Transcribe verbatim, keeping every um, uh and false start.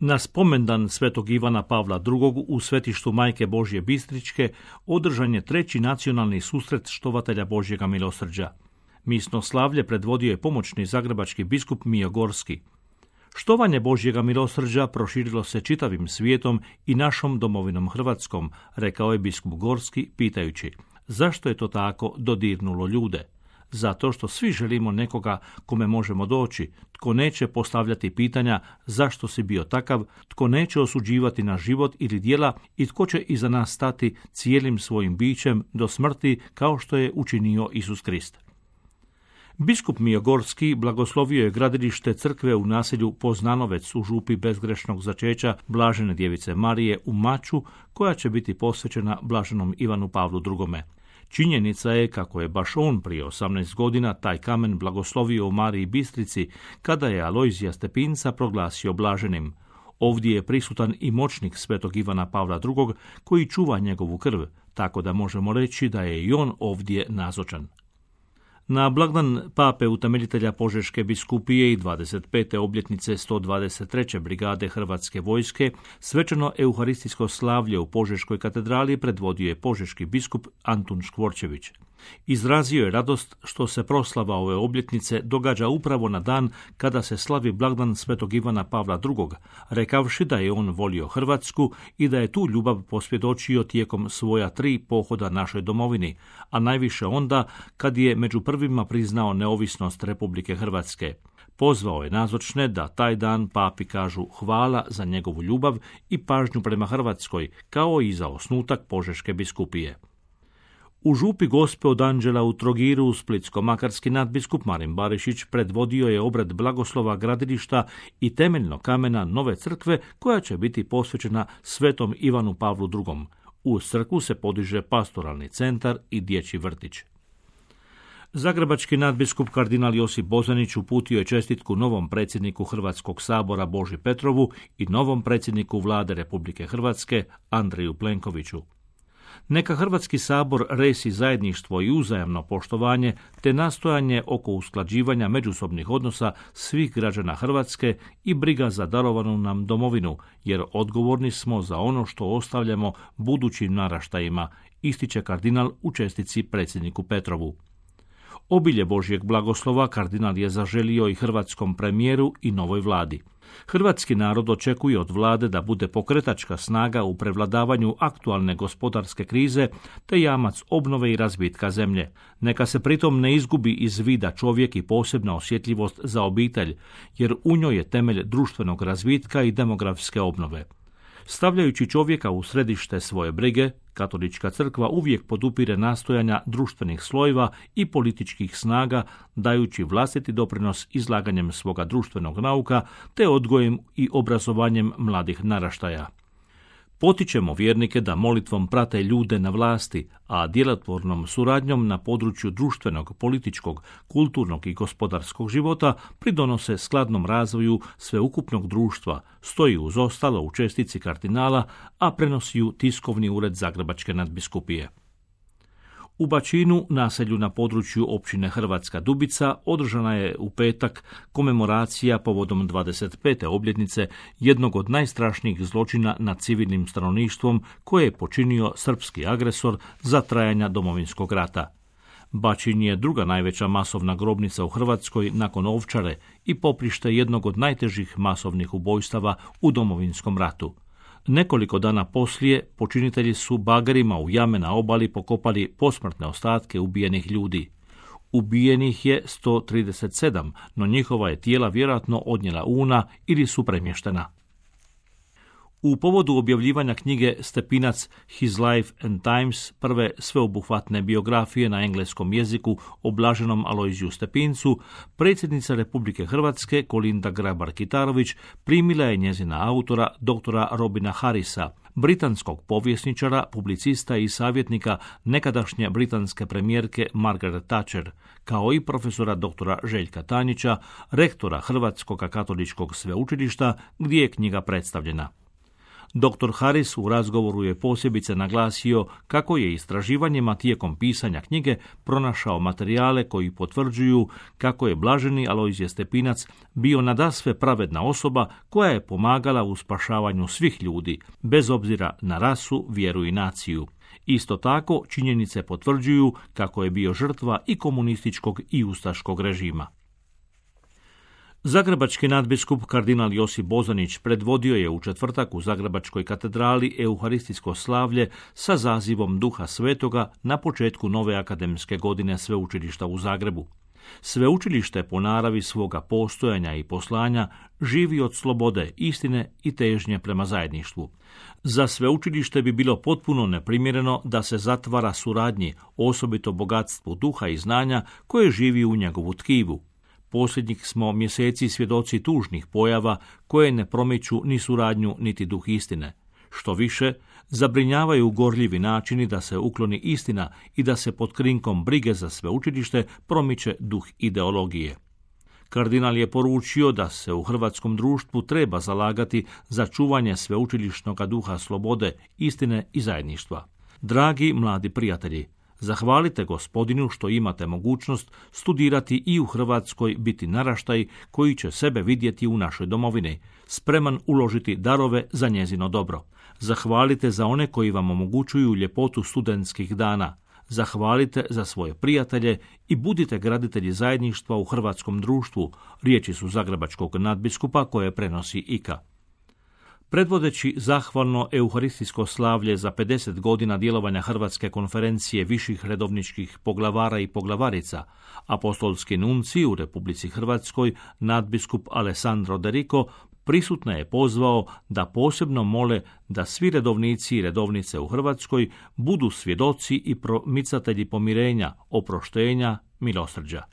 Na spomendan svetog Ivana Pavla drugog. u svetištu Majke Božje Bistričke održan je treći nacionalni susret štovatelja Božjega milosrđa. Misno slavlje predvodio je pomoćni zagrebački biskup Mijo Gorski. Štovanje Božjega milosrđa proširilo se čitavim svijetom i našom domovinom Hrvatskom, rekao je biskup Gorski pitajući zašto je to tako dodirnulo ljude. Zato što svi želimo nekoga kome možemo doći, tko neće postavljati pitanja zašto si bio takav, tko neće osuđivati naš život ili djela i tko će iza nas stati cijelim svojim bićem do smrti kao što je učinio Isus Krist. Biskup Mijo Gorski blagoslovio je gradilište crkve u naselju Poznanovec u župi bezgrešnog začeća Blažene djevice Marije u Maču, koja će biti posvećena Blaženom Ivanu Pavlu drugom. Činjenica je kako je baš on prije osamnaest godina taj kamen blagoslovio u Mariji Bistrici kada je Alojzija Stepinca proglasio blaženim. Ovdje je prisutan i moćnik svetog Ivana Pavla drugog. koji čuva njegovu krv, tako da možemo reći da je i on ovdje nazočan. Na blagdan pape utemeljitelja Požeške biskupije i dvadeset pete obljetnice sto dvadeset treće brigade Hrvatske vojske svečano euharistijsko slavlje u Požeškoj katedrali predvodio je požeški biskup Antun Škvorčević. Izrazio je radost što se proslava ove obljetnice događa upravo na dan kada se slavi blagdan svetog Ivana Pavla drugog. rekavši da je on volio Hrvatsku i da je tu ljubav posvjedočio tijekom svoja tri pohoda našoj domovini, a najviše onda kad je među prvima priznao neovisnost Republike Hrvatske. Pozvao je nazočne da taj dan papi kažu hvala za njegovu ljubav i pažnju prema Hrvatskoj, kao i za osnutak Požeške biskupije. U župi Gospe od Anđela u Trogiru splitsko-makarski nadbiskup Marin Barišić predvodio je obred blagoslova gradilišta i temeljnog kamena nove crkve koja će biti posvećena svetom Ivanu Pavlu drugom. Uz crkvu se podiže pastoralni centar i dječji vrtić. Zagrebački nadbiskup kardinal Josip Bozanić uputio je čestitku novom predsjedniku Hrvatskog sabora Boži Petrovu i novom predsjedniku Vlade Republike Hrvatske Andreju Plenkoviću. Neka Hrvatski sabor resi zajedništvo i uzajamno poštovanje te nastojanje oko usklađivanja međusobnih odnosa svih građana Hrvatske i briga za darovanu nam domovinu, jer odgovorni smo za ono što ostavljamo budućim naraštajima, ističe kardinal u čestitci predsjedniku Petrovu. Obilje Božjeg blagoslova kardinal je zaželio i hrvatskom premijeru i novoj vladi. Hrvatski narod očekuje od vlade da bude pokretačka snaga u prevladavanju aktualne gospodarske krize te jamac obnove i razvitka zemlje. Neka se pritom ne izgubi iz vida čovjek i posebna osjetljivost za obitelj, jer u njoj je temelj društvenog razvitka i demografske obnove. Stavljajući čovjeka u središte svoje brige, Katolička crkva uvijek podupire nastojanja društvenih slojeva i političkih snaga, dajući vlastiti doprinos izlaganjem svoga društvenog nauka te odgojem i obrazovanjem mladih naraštaja. Potičemo vjernike da molitvom prate ljude na vlasti, a djelotvornom suradnjom na području društvenog, političkog, kulturnog i gospodarskog života pridonose skladnom razvoju sveukupnog društva, stoji uz ostalo u čestici kardinala, a prenosi ju tiskovni ured Zagrebačke nadbiskupije. U Bačinu, naselju na području općine Hrvatska Dubica, održana je u petak komemoracija povodom dvadeset pete obljetnice jednog od najstrašnijih zločina nad civilnim stanovništvom koje je počinio srpski agresor za trajanja Domovinskog rata. Bačin je druga najveća masovna grobnica u Hrvatskoj nakon Ovčare i poprište jednog od najtežih masovnih ubojstava u Domovinskom ratu. Nekoliko dana poslije počinitelji su bagerima u jame na obali pokopali posmrtne ostatke ubijenih ljudi. Ubijenih je sto trideset sedam, no njihova je tijela vjerojatno odnijela Una ili su premještena. U povodu objavljivanja knjige Stepinac His Life and Times, prve sveobuhvatne biografije na engleskom jeziku o blaženom Alojziju Stepincu, predsjednica Republike Hrvatske Kolinda Grabar-Kitarović primila je njezina autora doktora Robina Harrisa, britanskog povjesničara, publicista i savjetnika nekadašnje britanske premijerke Margaret Thatcher, kao i profesora doktora Željka Tanjića, rektora Hrvatskog katoličkog sveučilišta, gdje je knjiga predstavljena. doktor Harris u razgovoru je posebice naglasio kako je istraživanjima tijekom pisanja knjige pronašao materijale koji potvrđuju kako je blaženi Alojzije Stepinac bio nadasve pravedna osoba koja je pomagala u spašavanju svih ljudi, bez obzira na rasu, vjeru i naciju. Isto tako, činjenice potvrđuju kako je bio žrtva i komunističkog i ustaškog režima. Zagrebački nadbiskup kardinal Josip Bozanić predvodio je u četvrtak u Zagrebačkoj katedrali euharistijsko slavlje sa zazivom Duha Svetoga na početku nove akademske godine Sveučilišta u Zagrebu. Sveučilište po naravi svoga postojanja i poslanja živi od slobode, istine i težnje prema zajedništvu. Za sveučilište bi bilo potpuno neprimjereno da se zatvara suradnji, osobito bogatstvu duha i znanja koje živi u njegovu tkivu. Posljednjih smo mjeseci svjedoci tužnih pojava koje ne promiču ni suradnju niti duh istine. Što više, zabrinjavaju gorljivi načini da se ukloni istina i da se pod krinkom brige za sveučilište promiče duh ideologije. Kardinal je poručio da se u hrvatskom društvu treba zalagati za čuvanje sveučilišnog duha slobode, istine i zajedništva. Dragi mladi prijatelji, zahvalite Gospodinu što imate mogućnost studirati i u Hrvatskoj, biti naraštaj koji će sebe vidjeti u našoj domovini, spreman uložiti darove za njezino dobro. Zahvalite za one koji vam omogućuju ljepotu studentskih dana. Zahvalite za svoje prijatelje i budite graditelji zajedništva u hrvatskom društvu, riječi su zagrebačkog nadbiskupa koje prenosi I K A. Predvodeći zahvalno euharistijsko slavlje za pedeset godina djelovanja Hrvatske konferencije viših redovničkih poglavara i poglavarica, apostolski nunci u Republici Hrvatskoj, nadbiskup Alessandro De Rico, prisutne je pozvao da posebno mole da svi redovnici i redovnice u Hrvatskoj budu svjedoci i promicatelji pomirenja, oproštenja, milosrđa.